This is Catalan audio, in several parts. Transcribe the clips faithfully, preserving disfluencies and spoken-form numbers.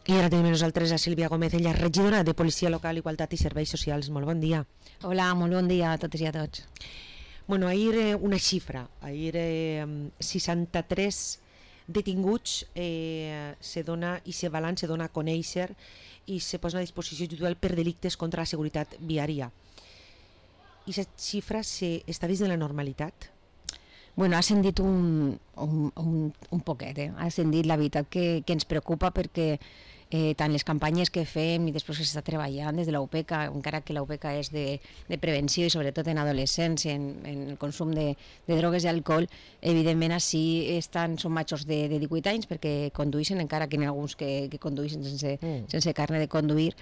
I ara tenim amb nosaltres a Sílvia Gómez, ella és regidora de Policia Local, Igualtat i Serveis Socials. Molt bon dia. Hola, molt bon dia a totes i a tots. Bueno, ahir eh, una xifra, ahir eh, seixanta-tres detinguts eh, se dona i se balan, se dona a conèixer i se posa a disposició judicial per delictes contra la seguretat viària. I aquesta xifra se, està dins de la normalitat? Bueno, ha ascendit un, un, un, un poquet, eh? Ha ascendit la veritat que, que ens preocupa perquè eh, tant les campanyes que fem i després que s'està treballant des de l'U P E C A, encara que l'U P E C A és de, de prevenció i sobretot en adolescents, en, en el consum de, de drogues i alcohol, evidentment així estan, són majors de, de divuit anys perquè conduïssin, encara que n'hi ha alguns que, que conduïssin sense, mm. sense carnet de conduir.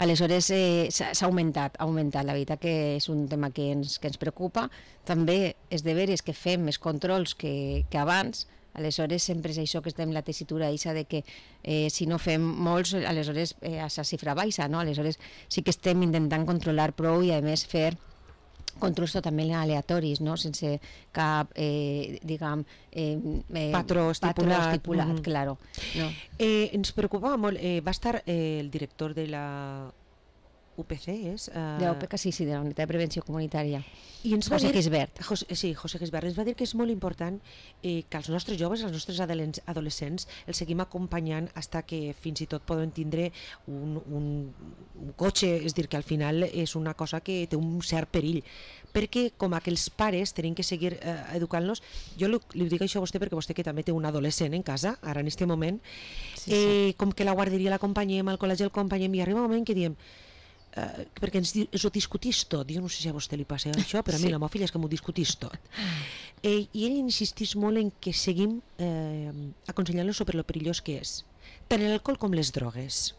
Aleshores eh, s'ha augmentat, ha augmentat, la veritat que és un tema que ens, que ens preocupa. També és de veres que fem més controls que, que abans, aleshores sempre és això que estem en la tessitura eixa de que eh, si no fem molts, aleshores eh, a la xifra baixa, no? Aleshores sí que estem intentant controlar prou i a més fer controls totalment aleatoris, no? Sense cap, eh, diguem, eh, eh, patró estipulat, patró estipulat mm-hmm. claro. No? Eh, ens preocupava molt, eh, va estar eh, el director de la U P C, és? Uh... De la U P E C A, sí, sí, de la Unitat de Prevenció Comunitària. I ens va José dir, Gisbert. José, sí, José Gisbert. Ens va dir que és molt important eh, que els nostres joves, els nostres adolescents, els seguim acompanyant fins que fins i tot poden tindre un, un, un cotxe, és dir, que al final és una cosa que té un cert perill. Perquè com que els pares tenim que seguir eh, educant-los, jo li, li dic això a vostè perquè vostè que també té un adolescent en casa, ara en aquest moment, sí, eh, sí. com que la guarderia l'acompanyem, al col·legi l'acompanyem, i arriba un moment que diem Uh, perquè ens, ens ho discutís tot. Jo no sé si a vostè li passa això, però a mi sí. La meva filla és que m'ho discutís tot. Eh, I ell insistís molt en que seguim eh, aconsellant-lo sobre lo perillós que és, tant l'alcohol com les drogues.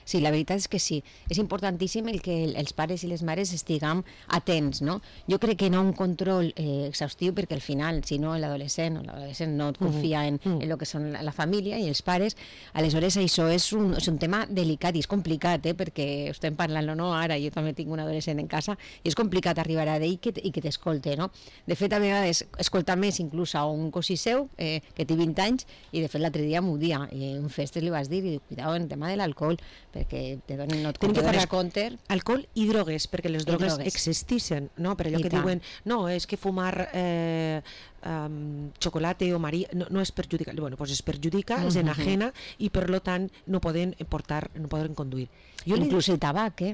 Sí, la veritat és que sí. És importantíssim el que els pares i les mares estiguem atents, no? Jo crec que no un control eh, exhaustiu, perquè al final, si no l'adolescent o l'adolescent no et confia en, en el que són la, la família i els pares, aleshores això és un, és un tema delicat i és complicat, eh? Perquè estem parlant-lo, no? Ara jo també tinc un adolescent en casa i és complicat arribar a d'ell que, i que t'escolte, no? De fet, a vegades escoltar més inclús a un cosí seu eh, que té vint anys i de fet l'altre dia m'ho dia i en festes li vas dir i dic, cuidado en el tema de l'alcohol perquè te donen, no te dones compte. Alcohol i drogues, perquè les drogues, drogues. existissin, no? Per allò I que tant. Diuen, no, és que fumar eh, um, xocolate o marí no, no és perjudicar, bueno, pues es perjudica, uh-huh. és enajena i per lo tant no poden portar, no poden conduir. Jo Inclús li... el tabac, eh?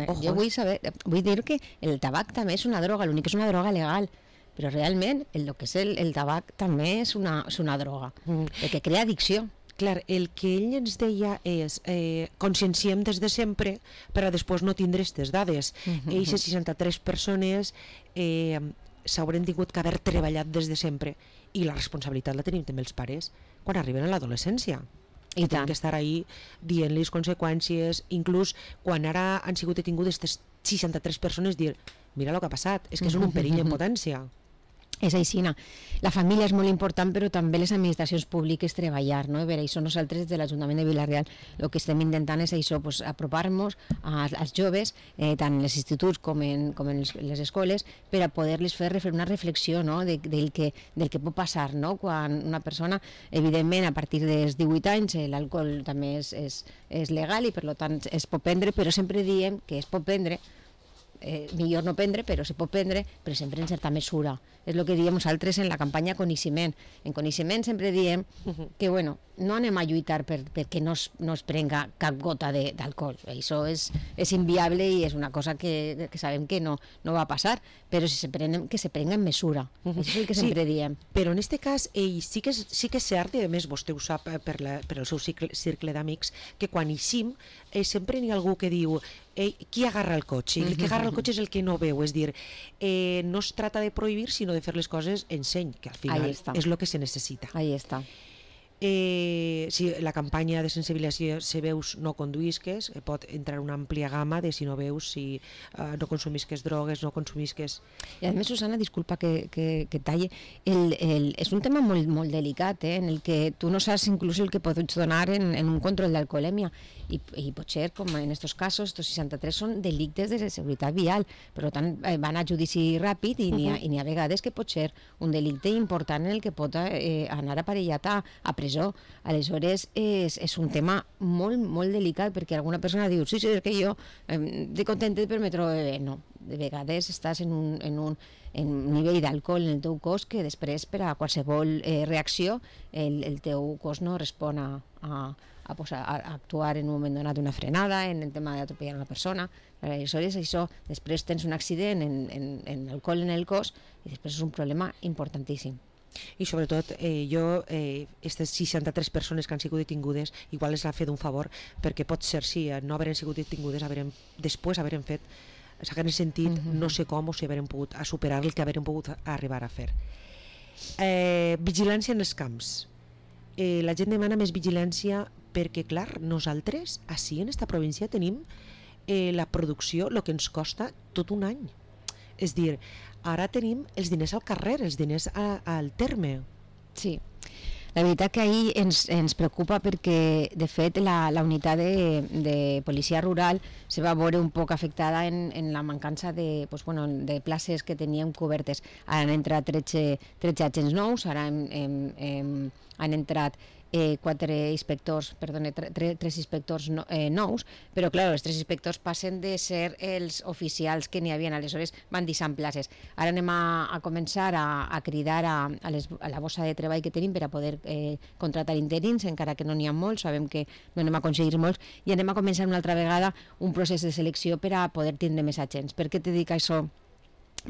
Ojo. Jo vull saber, vull dir que el tabac també és una droga, l'únic que és una droga legal, però realment el, el que és el, el tabac també és una, és una droga, uh-huh. perquè crea addicció. Clar, el que ell ens deia és eh, conscienciem des de sempre per a després no tindre aquestes dades. Uh-huh. Eixes seixanta-tres persones eh, s'hauran tingut que haver treballat des de sempre i la responsabilitat la tenim també els pares quan arriben a l'adolescència. I tenen que estar ahí dient-li conseqüències, inclús quan ara han sigut detingudes aquestes seixanta-tres persones, dir, mira el que ha passat, és que són un perill en potència. És aixina. La família és molt important, però també les administracions públiques treballar, no? Per això nosaltres de l'Ajuntament de Vila-real el que estem intentant és això, pues, apropar-nos als joves, eh, tant en els instituts com en, com en les, les escoles, per a poder-les fer una reflexió, no? de, del, que, del que pot passar, no? Quan una persona, evidentment, a partir dels divuit anys, l'alcohol també és, és, és legal i per tant es pot prendre, però sempre diem que es pot prendre, Eh, millor no prendre, però se pot prendre, però sempre en certa mesura. És el que diem nosaltres en la campanya Coneixement. En Coneixement sempre diem uh-huh. que bueno, no anem a lluitar per, perquè no es, no es prenga cap gota d'alcohol. Això és, és inviable i és una cosa que, que sabem que no, no va passar, però si se prenen, que se prenga en mesura. Uh-huh. Això és el que sí, sempre diem. Però en aquest cas, ell sí que és, sí que és cert, i a més vostè ho sap per, la, per el seu cicle, cercle d'amics, que quan eixim eh, sempre n'hi ha algú que diu eh, qui agarra el cotxe? I el que agarra el cotxe és el que no veu, és dir, eh, no es trata de prohibir, sinó de fer les coses en seny, que al final és el que se necessita. Ahí està. Eh, si la campanya de sensibilització si veus no conduïsques, eh, pot entrar una àmplia gamma de si no veus, si eh, no consumisques drogues, no consumisques... I a més, Susana, disculpa que, que, que talle, el, el, és un tema molt, molt delicat, eh, en el que tu no saps inclús el que pots donar en, en un control d'alcoholèmia i, i potser, com en aquests casos, estos seixanta-tres són delictes de seguretat vial, per tant eh, van a judici ràpid i n'hi ha, uh-huh. i n'hi ha vegades que pot ser un delicte important en el que pot eh, anar aparellat a, a presó presó. Aleshores, és, és un tema molt, molt delicat, perquè alguna persona diu, sí, sí, és que jo eh, estic contentet però me trobo bé. No, de vegades estàs en un, en un, en un nivell d'alcohol en el teu cos que després, per a qualsevol eh, reacció, el, el teu cos no respon a, a, a, posar, a actuar en un moment donat una frenada, en el tema d'atropellar una persona. Aleshores, això, després tens un accident en, en, en alcohol en el cos i després és un problema importantíssim. I sobretot eh, jo, eh, aquestes seixanta-tres persones que han sigut detingudes, igual les ha fet un favor, perquè pot ser, sí, no haver sigut detingudes, haverem, després haverem fet, s'hagueren sentit, mm-hmm. no sé com, o si haverem pogut a superar el que haverem pogut arribar a fer. Eh, vigilància en els camps. Eh, la gent demana més vigilància perquè, clar, nosaltres, així en esta província, tenim eh, la producció, el que ens costa tot un any. És dir, ara tenim els diners al carrer, els diners a, al terme. Sí, la veritat que ahir ens, ens preocupa perquè, de fet, la, la unitat de, de policia rural se va veure un poc afectada en, en la mancança de, pues, bueno, de places que teníem cobertes. Ara han entrat tretze, tretze agents nous, ara hem, hem, hem, han entrat Eh, quatre inspectors, perdone, tre, tres inspectors no, eh, nous, però clar, els tres inspectors passen de ser els oficials que n'hi havia, aleshores van deixant places. Ara anem a, a començar a, a cridar a, a, les, a la bossa de treball que tenim per a poder eh, contratar interins, encara que no n'hi ha molts, sabem que no anem a aconseguir molts, i anem a començar una altra vegada un procés de selecció per a poder tindre més agents. Per què te dic això?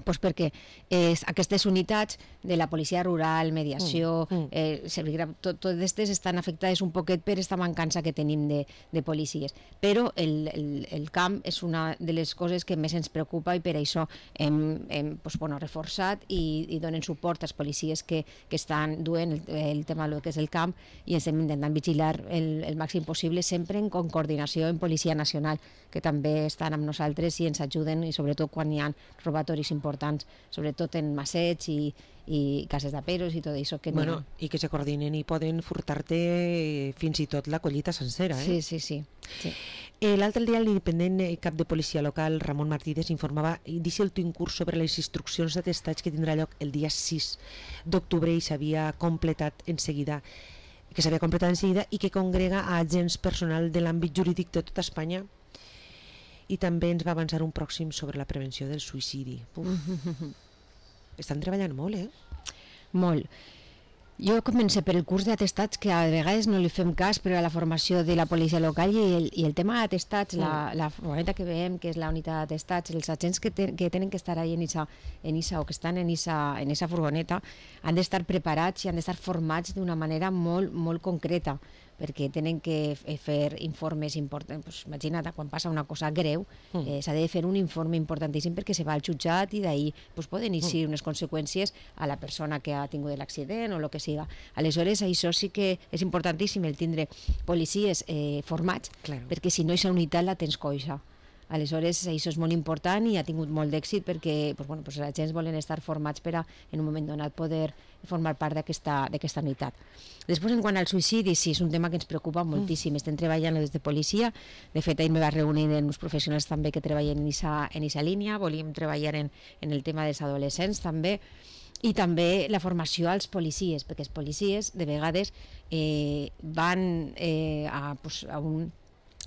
Pues perquè eh, aquestes unitats de la policia rural, mediació, mm, mm. Eh, tot, tot aquestes estan afectades un poquet per aquesta mancança que tenim de, de policies. Però el, el, el camp és una de les coses que més ens preocupa i per això hem, hem pues, bueno, reforçat i, i donen suport als policies que, que estan duent el, el tema del que és el camp i estem intentant vigilar el, el màxim possible, sempre en coordinació amb Policia Nacional, que també estan amb nosaltres i ens ajuden, i sobretot quan hi ha robatoris importants, sobretot en massets i, i cases d'aperos i tot això. Que bueno, no... I que se coordinen i poden furtar-te fins i tot la collita sencera. Eh? Sí, sí, sí. sí. Eh, L'altre dia l'independent cap de policia local, Ramon Martínez, informava d'iniciar un curs sobre les instruccions d'atestats que tindrà lloc el dia sis d'octubre i s'havia completat en seguida que s'havia completat en seguida i que congrega a agents personal de l'àmbit jurídic de tota Espanya. I també ens va avançar un pròxim sobre la prevenció del suïcidi. Estan treballant molt, eh? Molt. Jo comencé per el curs d'atestats, que a vegades no li fem cas, però a la formació de la policia local i el, i el tema d'atestats, mm. la, la furgoneta que veiem, que és la unitat d'atestats, els agents que, te, que tenen que estar ahí en esa, en esa, o que estan en esa, en esa furgoneta han d'estar preparats i han d'estar formats d'una manera molt, molt concreta, perquè tenen que fer informes importants. Pues, imagina't, quan passa una cosa greu, eh, s'ha de fer un informe importantíssim perquè se va al jutjat i d'ahir pues, poden eixir unes conseqüències a la persona que ha tingut l'accident o el que siga. Aleshores, això sí que és importantíssim, el tindre policies eh, formats, claro. Perquè si no, aquesta unitat la tens coixa. Aleshores, això és molt important i ha tingut molt d'èxit perquè pues, bueno, pues, els agents volen estar formats per a, en un moment donat, poder formar part d'aquesta unitat. Després, en quant al suïcidi, sí, és un tema que ens preocupa moltíssim. Estem treballant des de policia. De fet, ahir me va reunir amb uns professionals també que treballen en aquesta línia. Volíem treballar en, en el tema dels adolescents també. I també la formació als policies, perquè els policies, de vegades, eh, van eh, a, pues, a un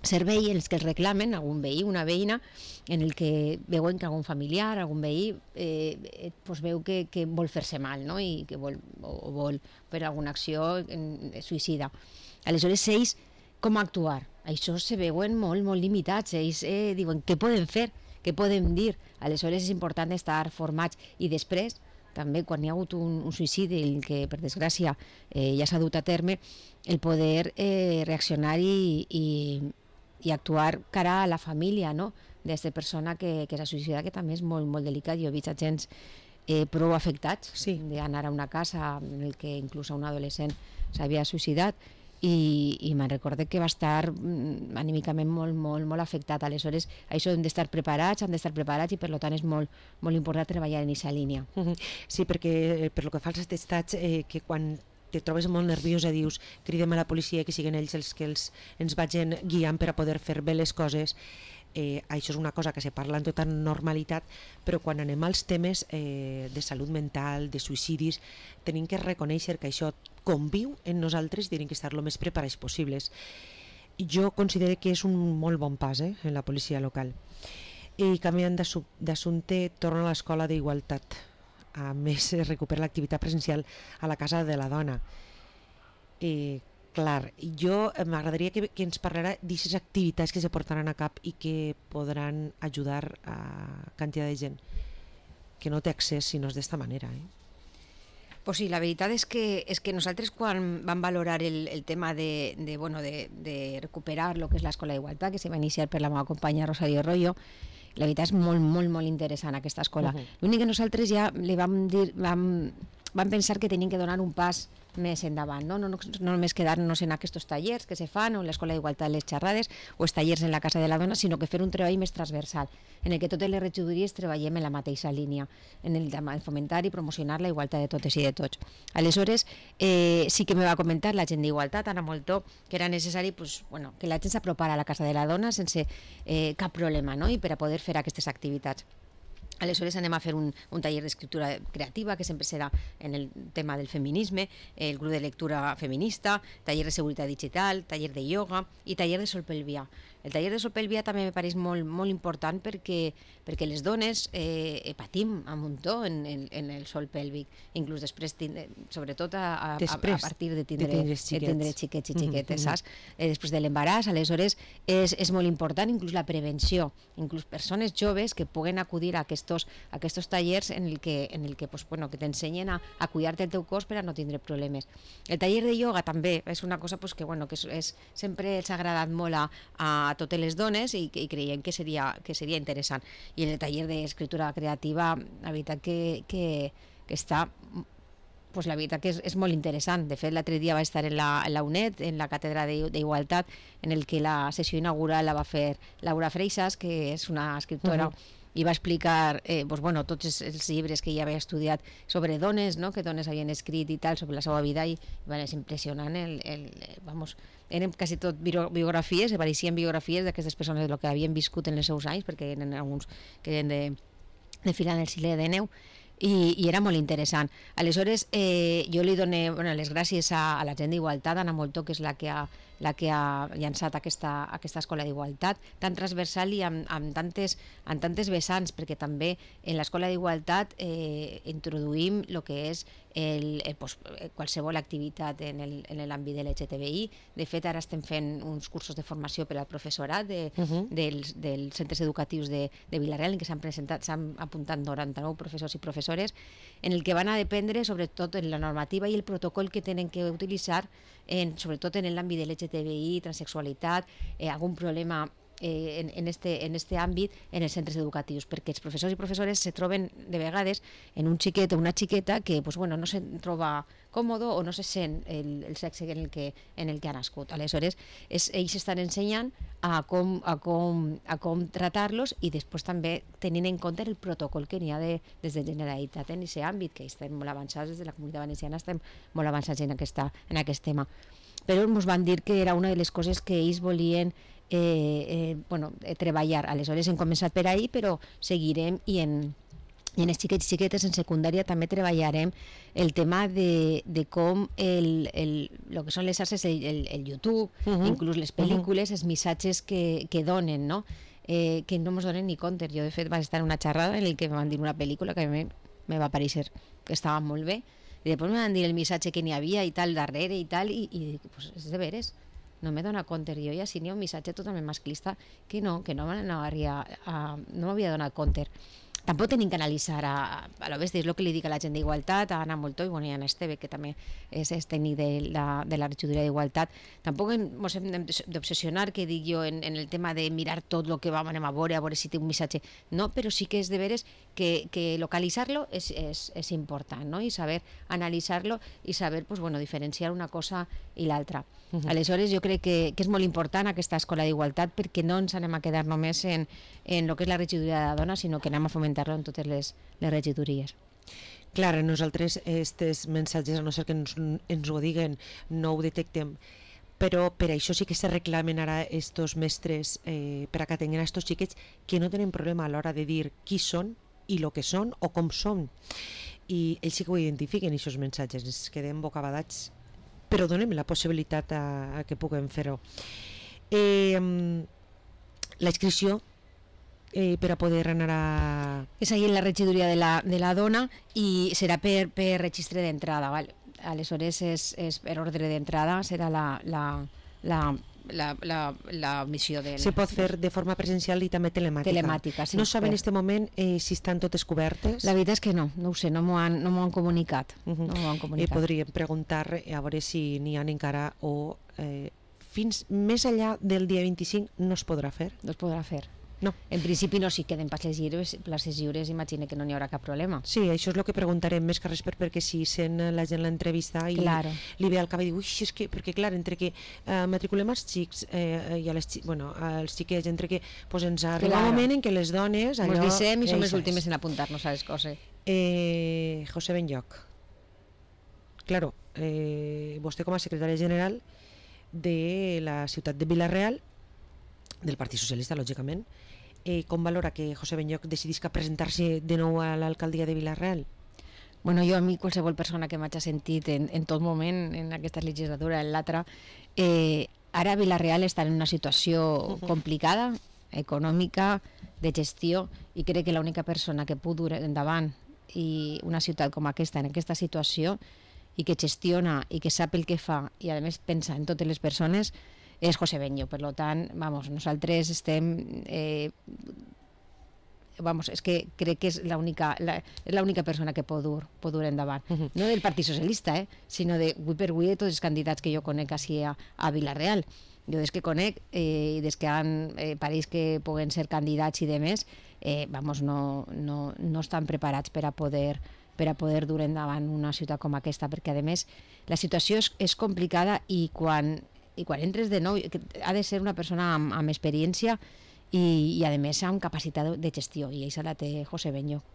servei en els que els reclamen, algun veí, una veïna, en el que veuen que algun familiar, algun veí, eh, pues veu que, que vol fer-se mal, no? I que vol, o vol fer alguna acció en, suïcida. Aleshores, ells, com actuar? Això se veuen molt, molt limitats. Ells eh, diuen, què podem fer? Què podem dir? Aleshores, és important estar formats. I després, també, quan hi ha hagut un, un suïcidi, el que, per desgràcia, eh, ja s'ha dut a terme, el poder eh, reaccionar i, i i actuar cara a la família, no? D'aquesta persona que, que s'ha suïcidat, que també és molt, molt delicat. Jo he vist agents eh, prou afectats sí. d'anar a una casa en el que inclús un adolescent s'havia suïcidat i, i me'n recorde que va estar mm, anímicament molt, molt, molt afectat. Aleshores, això hem d'estar preparats, han d'estar preparats i per tant és molt, molt important treballar en aquesta línia. Sí, perquè per lo que fa als atestats, eh, que quan te trobes molt nerviosa, dius, cridem a la policia, que siguin ells els que els, ens vagin guiant per a poder fer bé les coses. eh, això és una cosa que se parla en tota normalitat, però quan anem als temes eh, de salut mental, de suïcidis, tenim que reconèixer que això conviu en nosaltres i tenim que estar el més preparats possibles. Jo considero que és un molt bon pas eh, en la policia local. I canviant d'assumpte, torno a l'escola d'igualtat. A més, recupera l'activitat presencial a la Casa de la Dona. I, clar, jo m'agradaria que, que ens parlara d'aquestes activitats que se portaran a cap i que podran ajudar a quantitat de gent que no té accés si no és d'esta manera. Eh? Pues sí, la veritat és que, és que nosaltres quan vam valorar el, el tema de, de, bueno, de, de recuperar lo que és l'Escola d'Igualtat, que se va iniciar per la meva companya Rosario Arroyo, la veritat és molt, molt, molt interessant aquesta escola. Uh-huh. L'únic que nosaltres ja li vam dir, vam, vam pensar que tenim que donar un pas més endavant, no, no, no, no només quedar-nos en aquests tallers que se fan o en l'Escola d'Igualtat les xerrades o els tallers en la Casa de la Dona, sinó que fer un treball més transversal en el que totes les regidories treballem en la mateixa línia, en el de fomentar i promocionar la igualtat de totes i de tots. Aleshores, eh, sí que me va comentar la gent d'Igualtat, Anna Moltó, que era necessari pues, bueno, que la gent s'apropara a la Casa de la Dona sense eh, cap problema, no? I per a poder fer aquestes activitats. Aleshores anem a fer un, un taller d'escriptura creativa que sempre serà en el tema del feminisme, el grup de lectura feminista, taller de seguretat digital, taller de ioga i taller de solpelvià. El taller de solpelvià també me pareix molt, molt important perquè, perquè les dones eh, patim a muntó en, en, en el sol pèlvic, inclús després, tindre, sobretot a, a, després, a partir de tindre, de tindre xiquets, de tindre xiquets i xiquetes, mm-hmm. saps? Eh, després de l'embaràs, aleshores és, és molt important inclús la prevenció, inclús persones joves que puguen acudir a aquests, a aquests tallers en el que, en el que, pues, bueno, que t'ensenyen a, a cuidar-te el teu cos per a no tindre problemes. El taller de ioga també és una cosa pues, que, bueno, que és, és, sempre els ha agradat molt a, a totes les dones i, i creiem que seria, que seria interessant. I en el taller d'escriptura creativa, la veritat que, que, que està, pues la veritat que és, és molt interessant. De fet, l'altre dia va estar en la, en la U N E D, en la càtedra d'Igualtat, en el que la sessió inaugural la va fer Laura Freixas, que és una escriptora, uh-huh. i va explicar eh, pues, bueno, tots els, els llibres que ella havia estudiat sobre dones, no? Que dones havien escrit i tal, sobre la seva vida, i bueno, és impressionant el, el, el, vamos, eren quasi tot biografies, apareixien biografies d'aquestes persones del que havien viscut en els seus anys, perquè eren alguns que eren de, de filar en el Sile de Neu, i, i era molt interessant. Aleshores, eh, jo li dono bueno, les gràcies a, a la gent d'Igualtat, Anna Moltó, que és la que ha, la que ha llançat aquesta, aquesta escola d'Igualtat, tan transversal i amb, amb, tantes, amb tantes vessants, perquè també en l'escola d'Igualtat eh, introduïm el que és el, el, pues, qualsevol activitat en l'àmbit de l'L G T B I. De fet, ara estem fent uns cursos de formació per al professorat de, uh-huh. dels, dels centres educatius de, de Vilareal, en què s'han presentat, s'han apuntat noranta-nou professors i professores, en el que van a dependre sobretot en la normativa i el protocol que tenen que utilitzar, en, sobretot en l'àmbit de l'L G T B I, transexualitat, eh, algun problema eh, en, en, este, en este àmbit en els centres educatius, perquè els professors i professores se troben de vegades en un xiquet o una xiqueta que pues, bueno, no se troba còmode o no se sent el, el sexe en el, que, en el que ha nascut. Aleshores, és, ells estan ensenyant a com, a com, a com tratar-los i després també tenint en compte el protocol que n'hi ha de, des de Generalitat en aquest àmbit, que estem molt avançats, des de la Comunitat Valenciana estem molt avançats en, aquesta, en aquest tema. Però ens van dir que era una de les coses que ells volien eh, eh, bueno, eh, treballar. Aleshores hem començat per ahí, però seguirem i en, i en els xiquets i xiquetes en secundària també treballarem el tema de, de com el, el, el que són les xarxes, el, el, el YouTube, uh-huh. inclús les pel·lícules, uh-huh. els missatges que, que donen, no? Eh, que no ens donen ni compte. Jo de fet vaig estar en una xerrada en què me van dir una pel·lícula que a mi me va parèixer que estava molt bé, i després me van dir el missatge que n'hi havia i tal darrere i tal, i, i dic, pues és de veres, no me dona compte. Jo ja si n'hi ha un missatge totalment masclista que no, que no m'havia no donat compte. Tampoc tenim que analitzar a, a lo bèstia, és el que li dic a la gent d'Igualtat, a Anna Moltó i, bueno, i a Esteve, que també és, és tècnic de la, de la regidoria d'Igualtat. Tampoc ens hem d'obsessionar, que dic jo, en, en el tema de mirar tot el que vam anem a veure, a veure si té un missatge. No, però sí que és de veres que, que localitzar-lo és, és, és important, no? I saber analitzar-lo i saber pues, bueno, diferenciar una cosa i l'altra. Uh-huh. Aleshores, jo crec que, que és molt important aquesta escola d'Igualtat, perquè no ens anem a quedar només en, en el que és la regidoria de la dona, sinó que anem a fomentar-lo en totes les, les regidories. Clar, nosaltres aquests missatges, a no ser que ens, ens ho diguen, no ho detectem. però per això sí que se reclamen ara estos mestres eh, per a que tinguin a estos xiquets que no tenen problema a l'hora de dir qui són i lo que són o com són, i ells sí que ho identifiquen, aquests missatges, ens quedem bocabadats, però donem la possibilitat a, a que puguem fer-ho. Eh, la inscripció eh, per a poder anar a... És ahí en la regidoria de la, de la dona i serà per, per registre d'entrada, val? Aleshores és, és per ordre d'entrada, serà la, la, la, la, la, la missió del... Se pot fer de forma presencial i també telemàtica. Telemàtica, sí. No saben en per... aquest moment eh, si estan totes cobertes? La veritat és que no, no ho sé, no m'ho han, no m'ho han comunicat. Uh -huh. no m'ho han comunicat. Eh, podríem preguntar a veure si n'hi ha encara o eh, fins més enllà del dia vint-i-cinc no es podrà fer? No es podrà fer. No. En principi no, si queden places lliures, places lliures imagino que no n'hi haurà cap problema. Sí, això és el que preguntarem més que res per, perquè si sent la gent l'entrevista i claro. li ve al cap i diu, ui, és que, perquè clar, entre que eh, matriculem els xics eh, i a les, bueno, als xiquets, entre que pues, ens arriba claro. un moment en què les dones... Allò, ens dissem i som les últimes en apuntar-nos a les coses. Eh, José Benlloch, claro, eh, vostè com a secretària general de la ciutat de Vila-real, del Partit Socialista, lògicament, eh, com valora que José Benlloch decidisca presentar-se de nou a l'alcaldia de Vila-real? Bueno, jo a mi qualsevol persona que m'hagi sentit en, en tot moment, en aquesta legislatura, en l'altra, eh, ara Vila-real està en una situació uh-huh. complicada, econòmica, de gestió, i crec que l'única persona que pugui dur endavant i una ciutat com aquesta, en aquesta situació, i que gestiona i que sap el que fa i a més pensa en totes les persones, és José Benlloch. Per tant, vamos, nosaltres estem... Eh, vamos, és que crec que és l'única la, és l'única persona que pot dur, pot dur endavant. Uh-huh. No del Partit Socialista, eh, sinó de avui per avui de tots els candidats que jo conec així a, a Vila-real. Jo des que conec eh, i des que han, eh, pareix que puguen ser candidats i demés, eh, vamos, no, no, no estan preparats per a poder per a poder dur endavant una ciutat com aquesta, perquè a més la situació és, és complicada i quan, i quan entres de nou ha de ser una persona amb, amb experiència i, i a més amb capacitat de gestió, i això la té José Benlloch.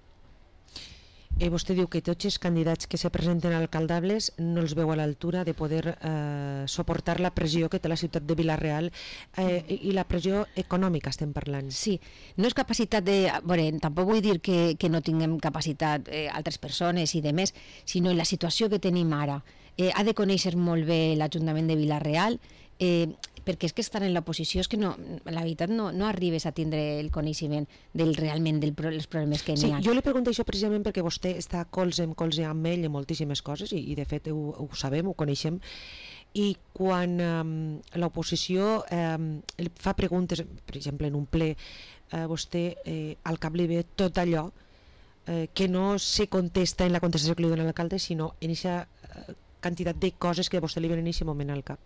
Eh, vostè diu que tots els candidats que se presenten alcaldables no els veu a l'altura de poder eh, suportar la pressió que té la ciutat de Vila-real eh, i la pressió econòmica estem parlant. Sí, no és capacitat de... Bueno, tampoc vull dir que, que no tinguem capacitat eh, altres persones i demés, sinó en la situació que tenim ara. Eh, ha de conèixer molt bé l'Ajuntament de Vila-real, eh, perquè és que estar en l'oposició és que no, la veritat no, no arribes a tindre el coneixement del, realment dels pro, problemes que sí, n'hi ha. Jo li pregunto això precisament perquè vostè està colze en colze amb ell en moltíssimes coses i, i de fet ho, ho sabem, ho coneixem, i quan um, l'oposició um, fa preguntes, per exemple en un ple, uh, vostè eh, al cap li ve tot allò eh, que no se contesta en la contestació que li dona l'alcalde, sinó en aquesta uh, quantitat de coses que a vostè li venen en aquest moment al cap.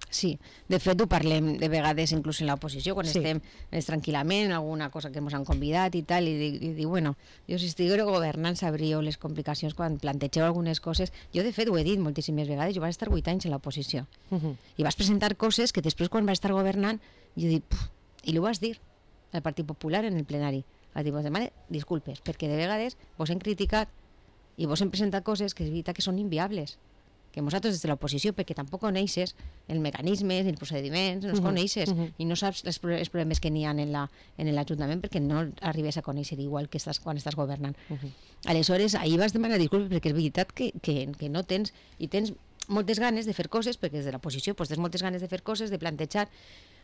Sí, de fet ho parlem de vegades inclús en l'oposició, quan sí. estem més tranquil·lament, alguna cosa que ens han convidat i tal, i dic, i dic bueno, jo si estiguera governant sabríeu les complicacions quan plantegeu algunes coses. Jo de fet ho he dit moltíssimes vegades, jo vaig estar vuit anys en l'oposició uh -huh. i vas presentar coses que després quan vaig estar governant jo dic, puf, i ho vas dir al Partit Popular en el plenari, vas dir, vos demane disculpes, perquè de vegades vos hem criticat i vos hem presentat coses que és veritat que són inviables, que nosaltres des de l'oposició, perquè tampoc coneixes el mecanismes, els procediments, no els uh -huh, coneixes, uh -huh. i no saps els, els problemes que n'hi ha en l'Ajuntament perquè no arribes a conèixer igual que estàs, quan estàs governant. Uh -huh. Aleshores, ahir vas demanar disculpes perquè és veritat que, que, que no tens, i tens moltes ganes de fer coses, perquè des de l'oposició pues, tens moltes ganes de fer coses, de plantejar.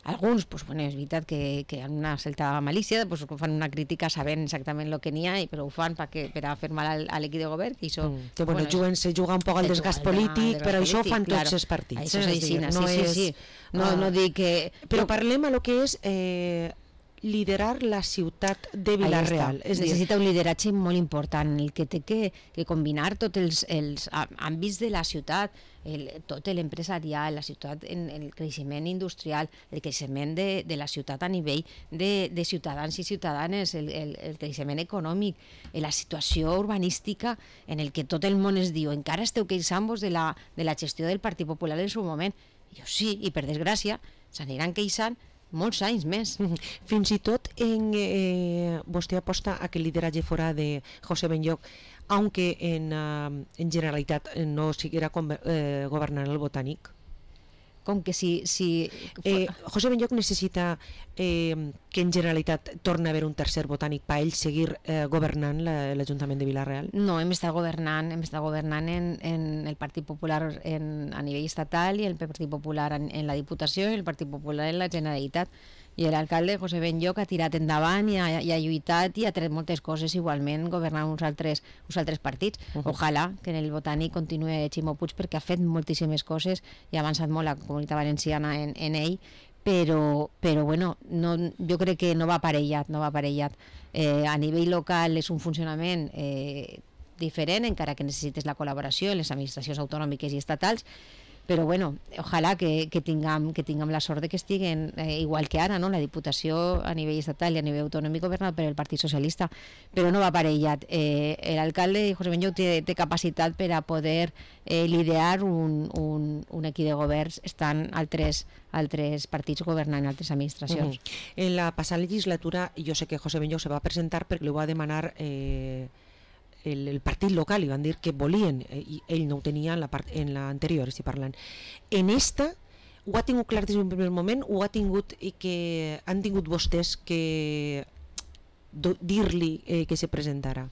Alguns, pues, bueno, és veritat que, que amb una certa malícia pues, fan una crítica sabent exactament el que n'hi ha, però ho fan per, que, per a fer mal al, a l'equip de govern. Que això, mm. que, bueno, bueno, juguen, se juga un poc al desgast polític, però això ho fan claro. tots els partits. Això és així, no sí, és, sí, sí. No, uh, no dic que... Però no. Parlem a lo que és... Eh, liderar la ciutat de Vila-real. Es necessita un lideratge molt important, el que té que, que combinar tots els, els àmbits de la ciutat, el, tot l'empresarial, la ciutat, en, el creixement industrial, el creixement de, de la ciutat a nivell de, de ciutadans i ciutadanes, el, el, el creixement econòmic, la situació urbanística en el que tot el món es diu encara esteu queixant-vos de, la, de la gestió del Partit Popular en el seu moment. Jo sí, i per desgràcia s'aniran queixant molts anys més. Fins i tot en, eh, vostè aposta a que el lideratge fora de José Benlloch, aunque en, uh, en generalitat no siguera eh, governant el Botànic? com que si... si... Eh, José Benlloch necessita eh, que en Generalitat torni a haver un tercer botànic per ell seguir eh, governant l'Ajuntament de Vila-real? No, hem estat governant, hem estat governant en, en el Partit Popular en, a nivell estatal i el Partit Popular en, en la Diputació i el Partit Popular en la Generalitat. I l'alcalde José Benlloch ha tirat endavant i ha, i ha lluitat i ha tret moltes coses igualment governant uns altres, uns altres partits. Uh -huh. Ojalà que en el botànic continuï Ximo Puig perquè ha fet moltíssimes coses i ha avançat molt la Comunitat Valenciana en, en ell, però, però bueno, no, jo crec que no va aparellat, no va aparellat. Eh, a nivell local és un funcionament eh, diferent, encara que necessites la col·laboració en les administracions autonòmiques i estatals, però bueno, ojalà que, que, tinguem, que tinguem la sort de que estiguen eh, igual que ara, no? La Diputació a nivell estatal i a nivell autonòmic governat per el Partit Socialista, però no va aparellat. Eh, L'alcalde José Benlloch té, té capacitat per a poder eh, liderar un, un, un equip de governs estant altres, altres partits governant altres administracions. Uh-huh. En la passada legislatura jo sé que José Benlloch se va presentar perquè li va demanar eh, El, el partit local, i van dir que volien, eh, i ell no ho tenia en la part, en l'anterior, estic parlant. En esta, ho ha tingut clar des d'un primer moment, o ha tingut i que han tingut vostès que dir-li eh, que se presentara?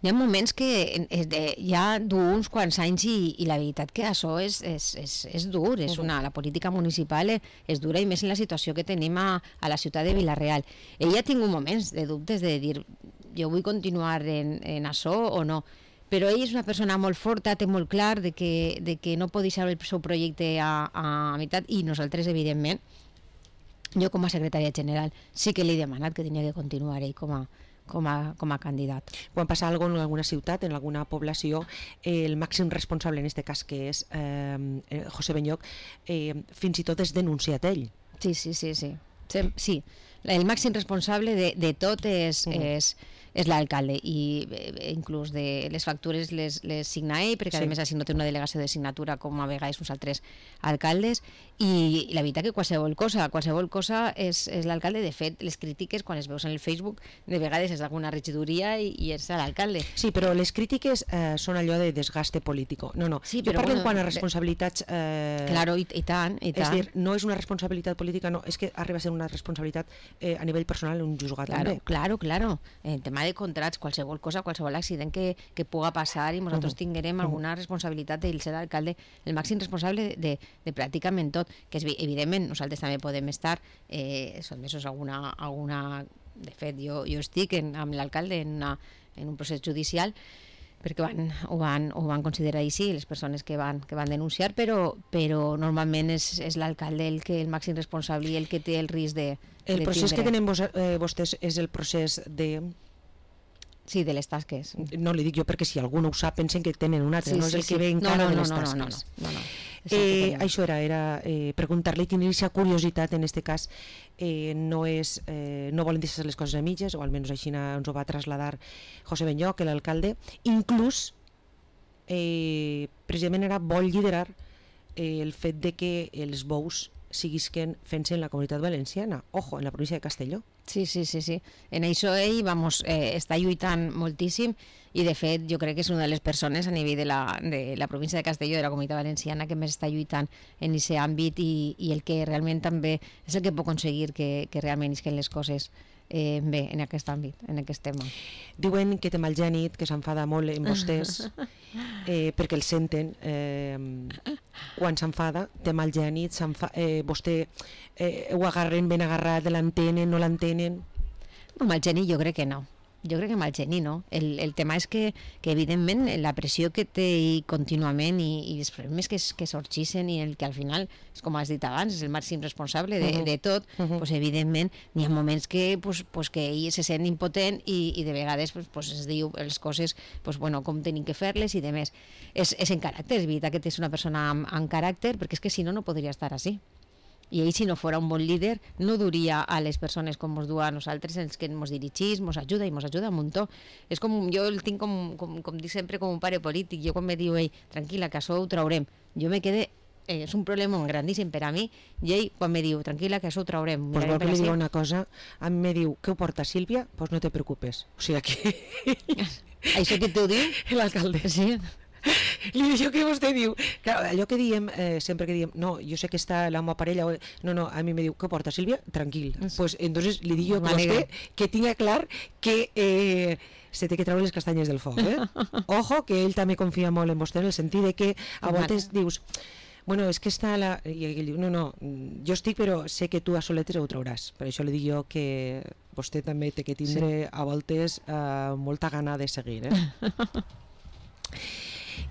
Hi ha moments que eh, de, ja du uns quants anys i, i la veritat que això és, és, és, és dur, és una, la política municipal és dura i més en la situació que tenim a, a la ciutat de Vila-real. Ell ha tingut moments de dubtes de dir jo vull continuar en, en això o no, però ell és una persona molt forta, té molt clar de que, de que no pot deixar el seu projecte a, a meitat, i nosaltres evidentment, jo com a secretària general sí que li he demanat que tenia que continuar ell com a, com a, com a candidat. Quan passa alguna cosa en alguna ciutat, en alguna població, eh, el màxim responsable en aquest cas, que és eh, José Benlloch, eh, fins i tot és denunciat ell. Sí, sí, sí, sí. Sí, el màxim responsable de, de tot és, mm. és, és l'alcalde, i eh, inclús de les factures les, les signa ell, perquè sí. A més així no té una delegació de signatura com a vegades uns altres alcaldes, i, i la veritat que qualsevol cosa qualsevol cosa és, és l'alcalde. De fet, les crítiques quan es veus en el Facebook de vegades és d'alguna regidoria i, i és l'alcalde. Sí, però les crítiques eh, són allò de desgaste político. No, no, sí, jo parlo bueno, quan a responsabilitats eh, claro, i, i tant, i tant. És dir, no és una responsabilitat política, no, és que arriba a ser una responsabilitat eh, a nivell personal un juzgat claro, també. Claro, claro. En tema de contrats, qualsevol cosa, qualsevol accident que, que puga passar, i nosaltres uh -huh. tinguerem alguna responsabilitat d'ell ser l'alcalde, el màxim responsable de, de, de pràcticament tot, que és, evidentment nosaltres també podem estar eh, sotmesos a alguna, alguna... De fet, jo, jo estic en, amb l'alcalde en, una, en un procés judicial, perquè van, ho, van, ho van considerar així les persones que van, que van denunciar, però, però normalment és, és l'alcalde el, que, el màxim responsable i el que té el risc de, el de procés tindre. que tenen vos, eh, vostès és el procés de... Sí, de les tasques. No li dic jo perquè si algú no ho sap pensen que tenen un altre, sí, no és sí, el sí. que ve encara no, no, de no, les no, tasques. no, no, no, no. Eh, això era, era eh, preguntar-li, tenir aquesta curiositat en aquest cas, eh, no és eh, no volen deixar les coses a mitges, o almenys així ens ho va traslladar José Benlloch, l'alcalde. Inclús eh, precisament era vol liderar eh, el fet de que els bous siguisquen fent-se en la Comunitat Valenciana, ojo, en la província de Castelló. Sí, sí, sí, sí. En això ell vamos, eh, està lluitant moltíssim, i de fet jo crec que és una de les persones a nivell de la, de la província de Castelló, de la Comunitat Valenciana, que més està lluitant en aquest àmbit, i, i el que realment també és el que pot aconseguir que, que realment isquen les coses eh, bé en aquest àmbit, en aquest tema. Diuen que té mal gènit, que s'enfada molt en vostès, eh, perquè el senten eh, quan s'enfada, té mal gènit, eh, vostè eh, ho agarren ben agarrat, l'entenen, no l'entenen? No, mal gènit jo crec que no. Jo crec que mal geni, no? El, el tema és que, que evidentment la pressió que té contínuament i, i els problemes que, que sorgeixen, i el que al final, és com has dit abans, és el màxim responsable de, uh-huh. de tot, uh-huh. pues evidentment n'hi ha moments que, pues, pues que ell se sent impotent, i, i de vegades pues, pues es diu les coses pues, bueno, com tenim que fer-les i demés. És, és en caràcter, és veritat que és una persona amb, amb caràcter, perquè és que si no, no podria estar així. I ell, si no fos un bon líder, no duria a les persones com ens du a nosaltres, els que ens dirigís, ens ajuda i ens ajuda un muntó. És com, jo el tinc com, com, com dic sempre, com un pare polític. Jo quan me diu ell, tranquil·la, que això ho traurem, jo me quedé, eh, és un problema grandíssim per a mi, i ell quan me diu, tranquil·la, que això ho traurem. Pues vol que li diu una cosa, a mi me diu, què ho porta Sílvia? Pues no te preocupes. O sigui que... Això que t'ho diu? L'alcalde. Sí. li dic jo que vostè diu, clar, allò que diem, eh, sempre que diem, no, jo sé que està la meva parella, o... no, no, a mi me diu, què porta, Sílvia? Tranquil. Doncs pues, entonces li dic jo que vostè que tinga clar que eh, se té que treure les castanyes del foc, eh? Ojo, que ell també confia molt en vostè en el sentit de que a voltes dius, bueno, és que està la... I ell diu, no, no, jo estic però sé que tu a soletes ho trauràs. Per això li dic jo que vostè també té que tindre sí. a voltes eh, molta gana de seguir, eh?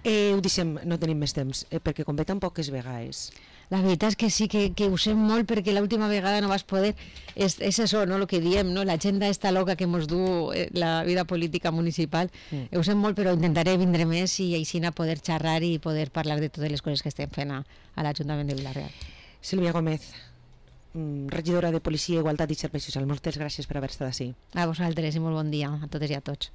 Eh, ho deixem, no tenim més temps, eh, perquè com ve tan poques vegades. La veritat és que sí, que, que ho sé molt, perquè l'última vegada no vas poder, és, és això, no?, el que diem, no?, l'agenda esta loca que mos du eh, la vida política municipal, mm. ho sé molt, però intentaré vindre més i així a poder xerrar i poder parlar de totes les coses que estem fent a, a l'Ajuntament de Vila-real. Sílvia Gómez, regidora de Policia, Igualtat i Serveis Socials, moltes gràcies per haver estat així. A vosaltres i molt bon dia a totes i a tots.